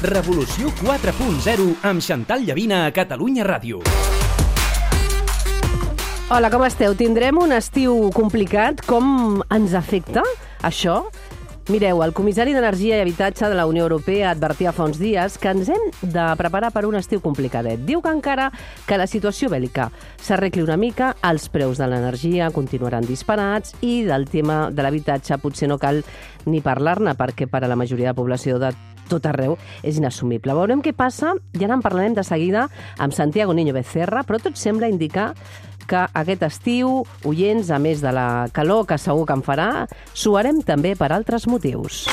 Revolució 4.0 amb Xantal Llavina a Catalunya Ràdio. Hola, com esteu? Tindrem un estiu complicat. Com ens afecta això? Mireu, el comissari d'Energia i Habitatge de la Unió Europea advertia fa uns dies que ens hem de preparar per un estiu complicadet. Diu que encara que la situació bèl·lica s'arregli una mica, els preus de l'energia continuaran disparats i del tema de l'habitatge potser no cal ni parlar-ne perquè per a la majoria de població de tot arreu és inassumible. Veurem què passa i ara en parlarem de seguida amb Santiago Niño Becerra, però tot sembla indicar que aquest estiu, oients, a més de la calor que segur que en farà, suarem també per altres motius.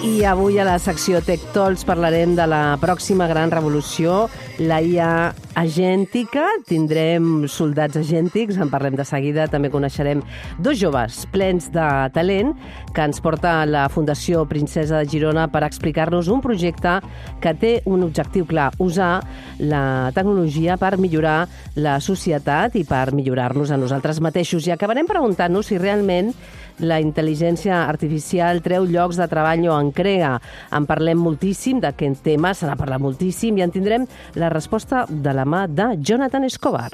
I avui a la secció Tech Talks parlarem de la pròxima gran revolució, la IA agèntica. Tindrem soldats agèntics, en parlem de seguida. També coneixerem dos joves plens de talent que ens porta la Fundació Princesa de Girona per explicar-nos un projecte que té un objectiu clar, usar la tecnologia per millorar la societat i per millorar-nos a nosaltres mateixos. I acabarem preguntant-nos si realment la intel·ligència artificial treu llocs de treball o en crea. En parlem moltíssim d'aquest tema, se n'ha parlat moltíssim i en tindrem la resposta de la mà de Jonathan Escobar.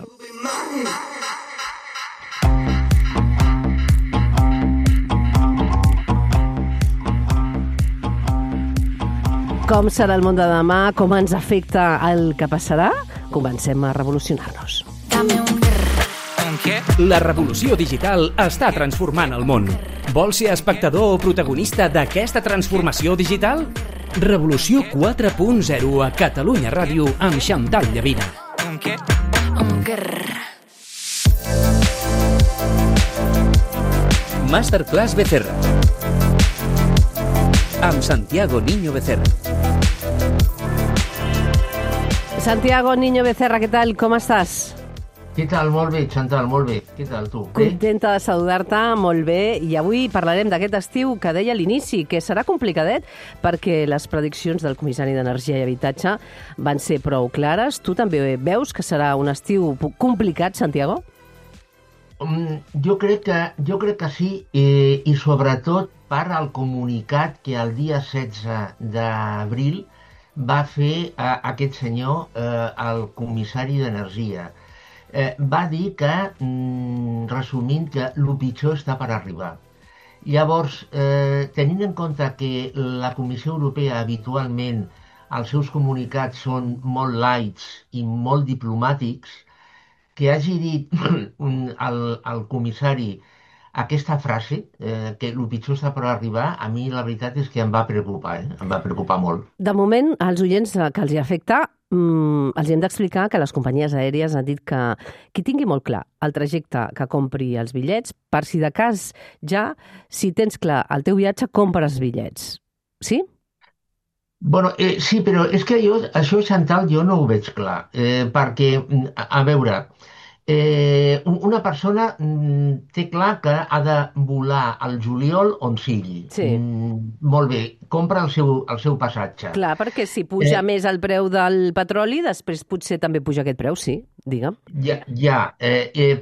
Com serà el món de demà? Com ens afecta el que passarà? Comencem a revolucionar-nos. La revolució digital està transformant el món. Vols ser espectador o protagonista d'aquesta transformació digital? Revolució 4.0 a Catalunya Ràdio amb Xantal Llavina. Masterclass Becerra amb Santiago Niño Becerra. Santiago Niño Becerra, què tal? Com estàs? Què tal? Molt bé, Xantal, molt bé. Què tal, tu? Contenta de saludar-te, molt bé. I avui parlarem d'aquest estiu que deia a l'inici, que serà complicadet perquè les prediccions del comissari d'Energia i Habitatge van ser prou clares. Tu també veus que serà un estiu complicat, Santiago? Jo crec que sí, i sobretot per al comunicat que el dia 16 d'abril va fer aquest senyor, el comissari d'Energia. Va dir que, resumint, que el pitjor està per arribar. Llavors, tenint en compte que la Comissió Europea habitualment els seus comunicats són molt lights i molt diplomàtics, que hagi dit el comissari aquesta frase, que el pitjor està per arribar, a mi la veritat és que em va preocupar, em va preocupar molt. De moment, als oients que els hi afecta, els hem d'explicar que les companyies aèries han dit que qui tingui molt clar el trajecte que compri els bitllets, per si de cas ja, si tens clar el teu viatge, compres bitllets. Sí? Bueno, sí, però és que això, Xantal, jo no ho veig clar, perquè, a veure, una persona té clar que ha de volar al juliol on sigui. Sí. Molt bé, compra el seu passatge. Clar, perquè si puja més el preu del petroli, després potser també puja aquest preu, sí, digue'm.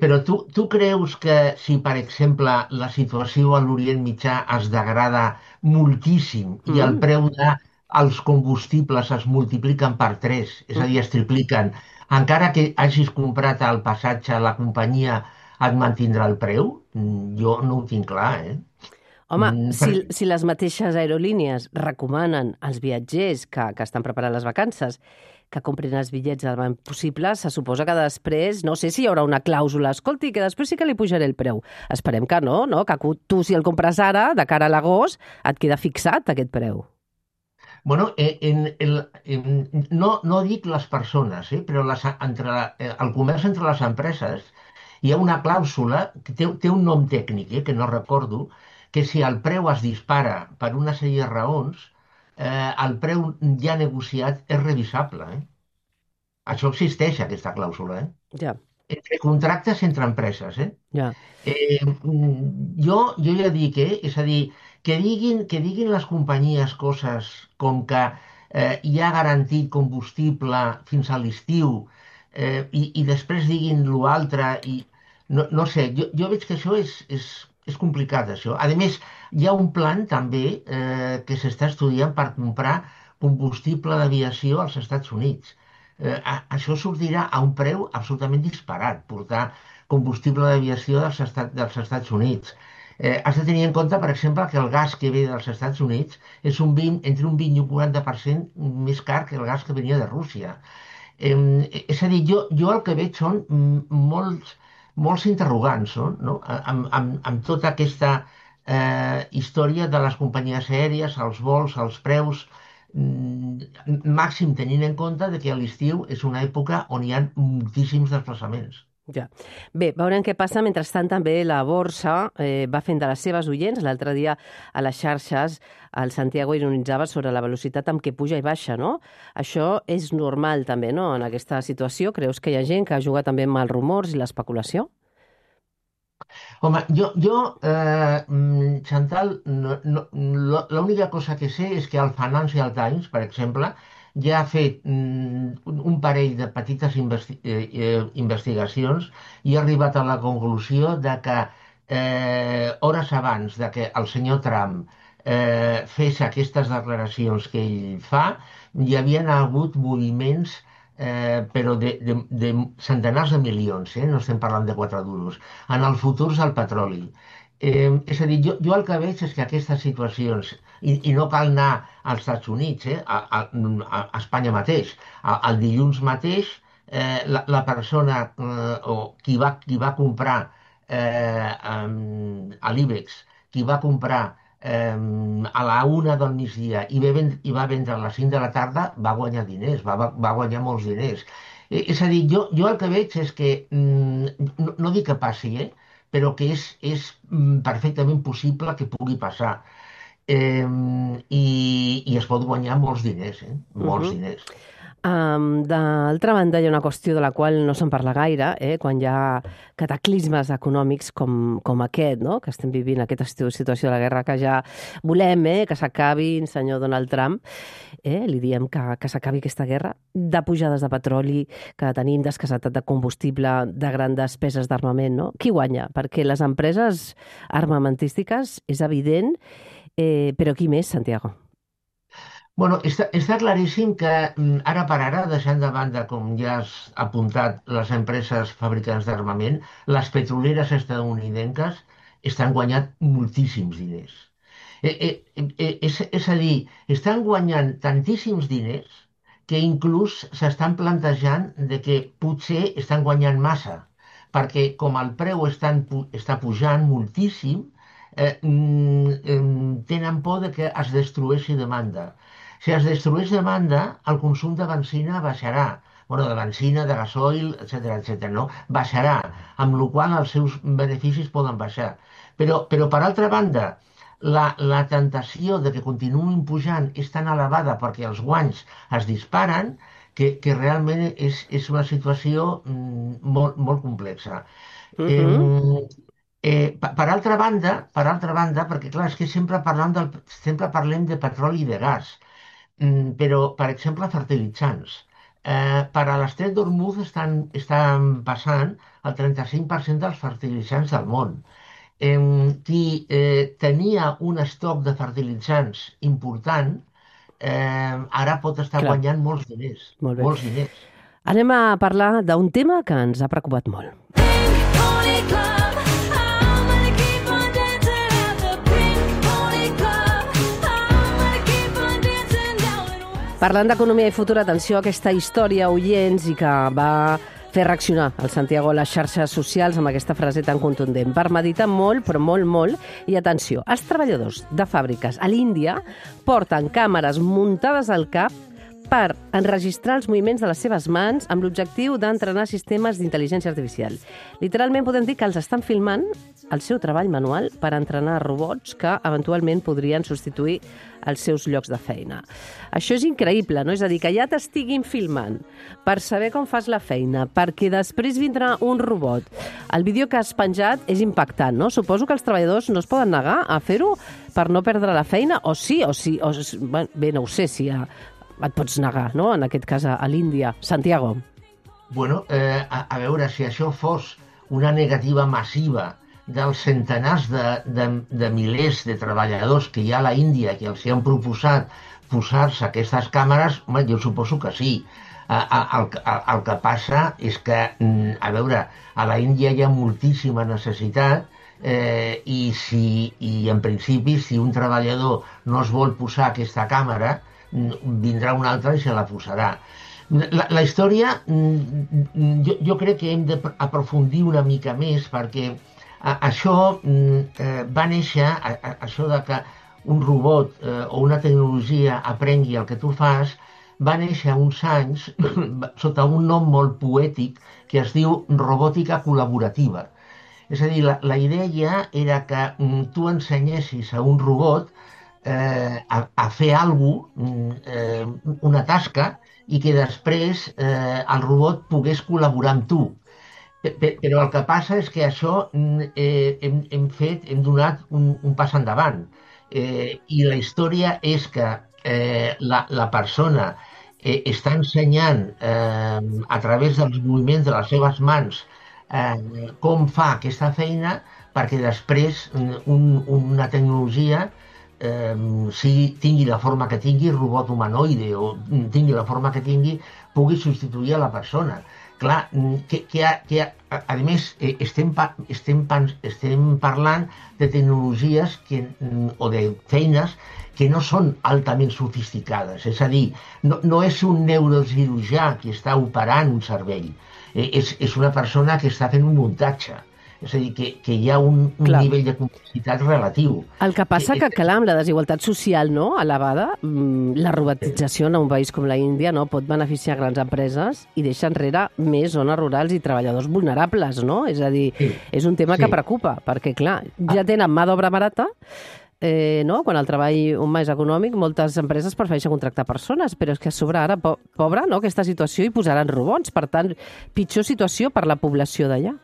Però tu creus que si, per exemple, la situació a l'Orient Mitjà es degrada moltíssim i el preu dels combustibles es multipliquen per 3, és a dir, es tripliquen, encara que hagis comprat el passatge, la companyia et mantindrà el preu? Jo no ho tinc clar, Home, si les mateixes aerolínies recomanen als viatgers que estan preparant les vacances que comprin els bitllets el més possible, se suposa que després, no sé si hi haurà una clàusula, escolti, que després sí que li pujaré el preu. Esperem que no, que tu, si el compres ara, de cara a l'agost, et queda fixat aquest preu. Bueno, no dic les persones, però el comerç entre les empreses hi ha una clàusula que té un nom tècnic, que no recordo, que si el preu es dispara per una sèrie de raons, el preu ja negociat és revisable. Això existeix, aquesta clàusula. Ja. Entre contractes entre empreses. Ja. Jo ja dic, és a dir, que diguin les companyies coses com que hi ha garantit combustible fins a l'estiu, i després diguin l'altre, i no sé, jo veig que això és complicat, això. A més, hi ha un plan també que s'està estudiant per comprar combustible d'aviació als Estats Units. Això sortirà a un preu absolutament disparat, portar combustible d'aviació dels Estats Units. Has de tenir en compte, per exemple, que el gas que ve dels Estats Units és entre un 20 i un 40% més car que el gas que venia de Rússia. És a dir, jo el que veig són molts interrogants, no? Amb tota aquesta història de les companyies aèries, els vols, els preus, màxim tenint en compte que a l'estiu és una època on hi ha moltíssims desplaçaments. Ja. Bé, veurem què passa. Mentrestant, també la borsa va fent de les seves oients. L'altre dia a les xarxes el Santiago ironitzava sobre la velocitat amb què puja i baixa, no? Això és normal també, no?, en aquesta situació. Creus que hi ha gent que juga també amb els rumors i l'especulació? Home, Chantal, l'única cosa que sé és que el Financial Times, per exemple, ja ha fet un parell de petites investigacions i ha arribat a la conclusió de que hores abans de que el senyor Trump fes aquestes declaracions que ell fa, hi havien hagut moviments però de centenars de milions, no estem parlant de 4 duros, en els futurs del petroli. És a dir, jo el que veig és que aquestes situacions, i no cal anar als Estats Units, a Espanya mateix, el dilluns mateix, la persona o qui va comprar a l'IBEX, qui va comprar a la 1 del migdia i va vendre a les 5 de la tarda, va guanyar diners, va guanyar molts diners. És a dir, jo el que veig és que, no dic que passi, però que és perfectament possible que pugui passar. I es pot guanyar molts diners, molts diners. D'altra banda, hi ha una qüestió de la qual no se'n parla gaire, quan hi ha cataclismes econòmics com aquest, no?, que estem vivint, aquesta situació de la guerra, que ja volem que s'acabi, senyor Donald Trump, li diem que s'acabi aquesta guerra, de pujades de petroli, que tenim d'escassetat de combustible, de grans despeses d'armament, no? Qui guanya? Perquè les empreses armamentístiques és evident, però qui més, Santiago? Bueno, està claríssim que ara per ara, deixant de banda, com ja has apuntat, les empreses fabricants d'armament, les petroleres estatunidenques estan guanyant moltíssims diners. És a dir, estan guanyant tantíssims diners que inclús s'estan plantejant de que potser estan guanyant massa, perquè com el preu està pujant moltíssim, tenen por de que es destrueixi demanda. Si es destrueix demanda, el consum de benzina baixarà. De benzina, de gasoil, etc., no? Baixarà, amb la qual cosa els seus beneficis poden baixar. Però per altra banda, la tentació de que continuïn pujant és tan elevada perquè els guanys es disparen que realment és una situació molt complexa. Per altra banda, perquè clar, és que sempre parlem de petroli i de gas, però, per exemple, fertilitzants. Per a l'estret d'Hormuz estan passant el 35% dels fertilitzants del món. Qui tenia un estoc de fertilitzants important, ara pot estar guanyant molts diners. Molts diners. Anem a parlar d'un tema que ens ha preocupat molt. Parlant d'economia i futur, atenció a aquesta història, oients, i que va fer reaccionar el Santiago a les xarxes socials amb aquesta frase tan contundent. Per meditar molt, però molt, i atenció, els treballadors de fàbriques a l'Índia porten càmeres muntades al cap per enregistrar els moviments de les seves mans amb l'objectiu d'entrenar sistemes d'intel·ligència artificial. Literalment podem dir que els estan filmant el seu treball manual per entrenar robots que eventualment podrien substituir els seus llocs de feina. Això és increïble, no? És a dir, que ja t'estiguin filmant per saber com fas la feina, perquè després vindrà un robot. El vídeo que has penjat és impactant, no? Suposo que els treballadors no es poden negar a fer-ho per no perdre la feina, o sí, bé, no ho sé, si et pots negar, no?, en aquest cas a l'Índia. Santiago. Bueno, a veure, si això fos una negativa massiva dels centenars de milers de treballadors que hi ha a la Índia que els han proposat posar-se aquestes càmeres, home, jo suposo que sí. El que passa és que, a veure, a la Índia hi ha moltíssima necessitat i en principi si un treballador no es vol posar aquesta càmera, vindrà un altre i se la posarà. La història, jo crec que hem d'aprofundir una mica més perquè això va néixer, això de que un robot o una tecnologia aprengui el que tu fas, va néixer uns anys sota un nom molt poètic que es diu robòtica col·laborativa. És a dir, la idea era que tu ensenyessis a un robot a fer alguna cosa, una tasca, i que després el robot pogués col·laborar amb tu. Però el que passa és que això hem donat un pas endavant. I la història és que la persona està ensenyant a través dels moviments de les seves mans com fa aquesta feina perquè després una tecnologia tingui la forma que tingui, robot humanoide o tingui la forma que tingui, pugui substituir a la persona. Clar, a més, estem parlant de tecnologies o de feines que no són altament sofisticades. És a dir, no és un neurocirurgià que està operant un cervell, és una persona que està fent un muntatge. És a dir, que hi ha un nivell de complexitat relatiu. El que passa que, clar, amb la desigualtat social elevada, la robotització en un país com la Índia pot beneficiar grans empreses i deixa enrere més zones rurals i treballadors vulnerables, no? És a dir, és un tema que preocupa, perquè, clar, ja tenen mà d'obra barata, quan el treball humà és econòmic, moltes empreses prefereixen contractar persones, però és que a sobre ara, pobra, aquesta situació, hi posaran robots. Per tant, pitjor situació per la població d'allà.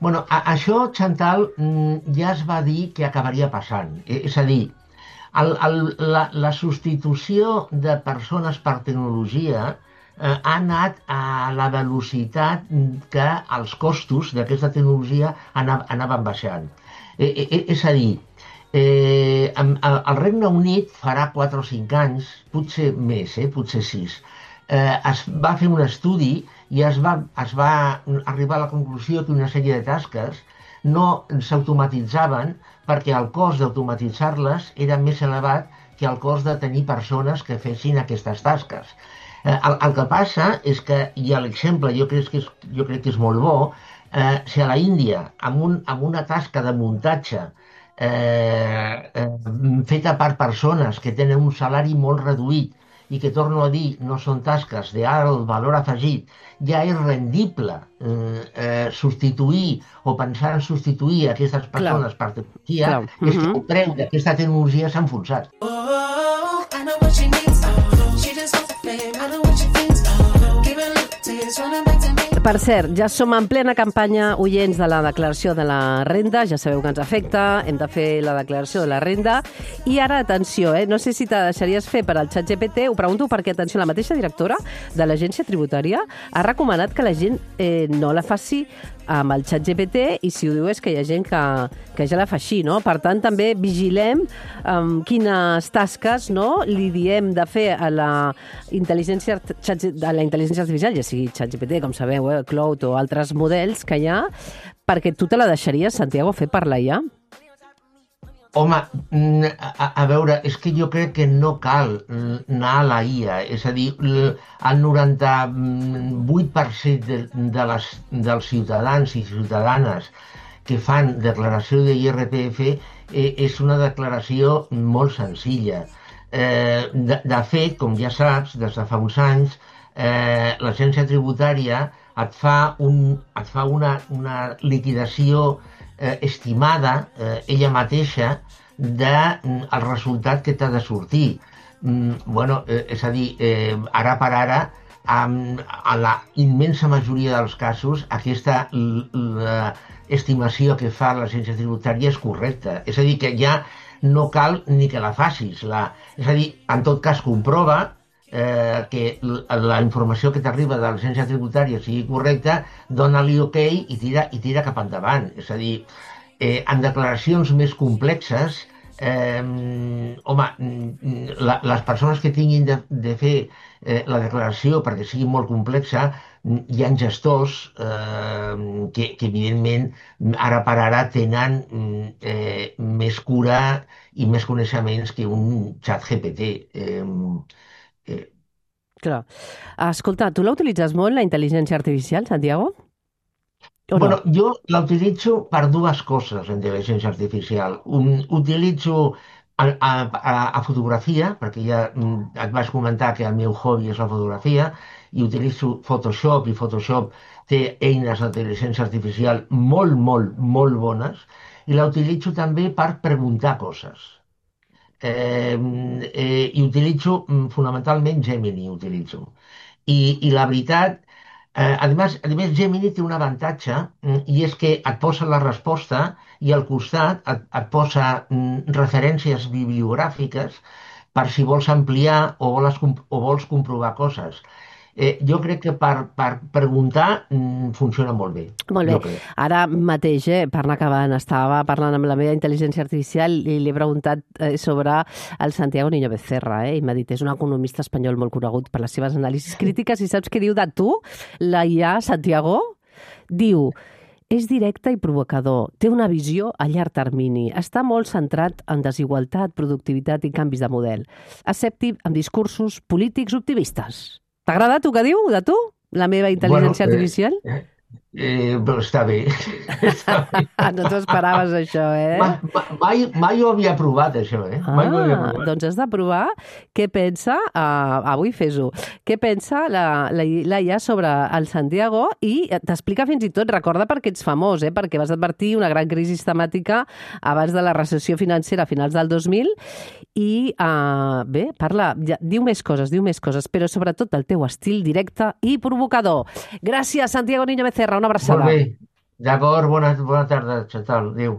Bueno, això, Chantal, ja es va dir que acabaria passant. És a dir, la substitució de persones per tecnologia ha anat a la velocitat que els costos d'aquesta tecnologia anaven baixant. És a dir, el Regne Unit farà 4 o 5 anys, potser més, potser 6, es va fer un estudi i es va arribar a la conclusió que una sèrie de tasques no s'automatitzaven perquè el cost d'automatitzar-les era més elevat que el cost de tenir persones que fessin aquestes tasques. El que passa és que, i l'exemple jo crec que és molt bo, si a la Índia, amb una tasca de muntatge feta per persones que tenen un salari molt reduït i que, torno a dir, no són tasques d'alt valor afegit, ja és rendible substituir o pensar en substituir aquestes persones per tecnologia, és que el preu d'aquesta tecnologia s'ha enfonsat. Per cert, ja som en plena campanya, oients, de la declaració de la renda. Ja sabeu que ens afecta, hem de fer la declaració de la renda. I ara, atenció, no sé si te deixaries fer per al ChatGPT, ho pregunto perquè, atenció, la mateixa directora de l'Agència Tributària ha recomanat que la gent no la faci amb el ChatGPT, i si ho diu és que hi ha gent que ja la fa així, no? Per tant, també vigilem quines tasques li diem de fer a la intel·ligència artificial, ja sigui ChatGPT, com sabeu, Cloud o altres models que hi ha, perquè tu te la deixaries, Santiago, fer per la IA? Home, a veure, és que jo crec que no cal anar a la IA. És a dir, el 98% dels ciutadans i ciutadanes que fan declaració de IRPF és una declaració molt senzilla. De fet, com ja saps, des de fa uns anys, l'Agència Tributària et fa una liquidació estimada, ella mateixa, del resultat que t'ha de sortir. És a dir, ara per ara, a la immensa majoria dels casos, aquesta estimació que fa l'Agència Tributària és correcta. És a dir, que ja no cal ni que la facis. És a dir, en tot cas, comprova que la informació que t'arriba de l'agència tributària sigui correcta, dona-li OK i tira cap endavant. És a dir, en declaracions més complexes, home, les persones que tinguin de fer la declaració perquè sigui molt complexa, hi ha gestors que evidentment ara per ara tenen més cura i més coneixements que un xat GPT. Eh, Clar. Escolta, tu la utilitzes molt, la intel·ligència artificial, Santiago? O no? Bueno, jo la utilitzo per dues coses, la intel·ligència artificial. Utilitzo a fotografia, perquè ja et vaig comentar que el meu hobby és la fotografia, i utilitzo Photoshop, i Photoshop té eines d'intel·ligència artificial molt, molt, molt bones, i la utilitzo també per preguntar coses. I utilitzo fonamentalment Gemini, utilitzo. I la veritat, a més Gemini té un avantatge i és que et posa la resposta i al costat et posa referències bibliogràfiques per si vols ampliar o vols comprovar coses. Jo crec que per preguntar funciona molt bé. Molt Jo bé. crec. Ara mateix, per anar acabant, estava parlant amb la meva intel·ligència artificial i li he preguntat sobre el Santiago Niño Becerra, i m'ha dit, és un economista espanyol molt conegut per les seves anàlisis crítiques, i saps què diu de tu, la IA Santiago? Diu, és directe i provocador, té una visió a llarg termini, està molt centrat en desigualtat, productivitat i canvis de model. Escèptic amb discursos polítics optimistes. T'ha agradat el que diu de tu, la meva intel·ligència artificial? Però està bé. Està bé. No t'ho esperaves, això, Mai ho havia provat, això, Mai ho havia provat. Doncs has de provar què pensa, avui fes-ho, què pensa la IA sobre el Santiago i t'explica fins i tot, recorda perquè ets famós, perquè vas advertir una gran crisi temàtica abans de la recessió financera a finals del 2000 i, bé, parla, diu més coses, però sobretot el teu estil directe i provocador. Gràcies, Santiago Niño Becerra, una abraçada. Molt bé. D'acord, bona tarda, Chantal. Adéu.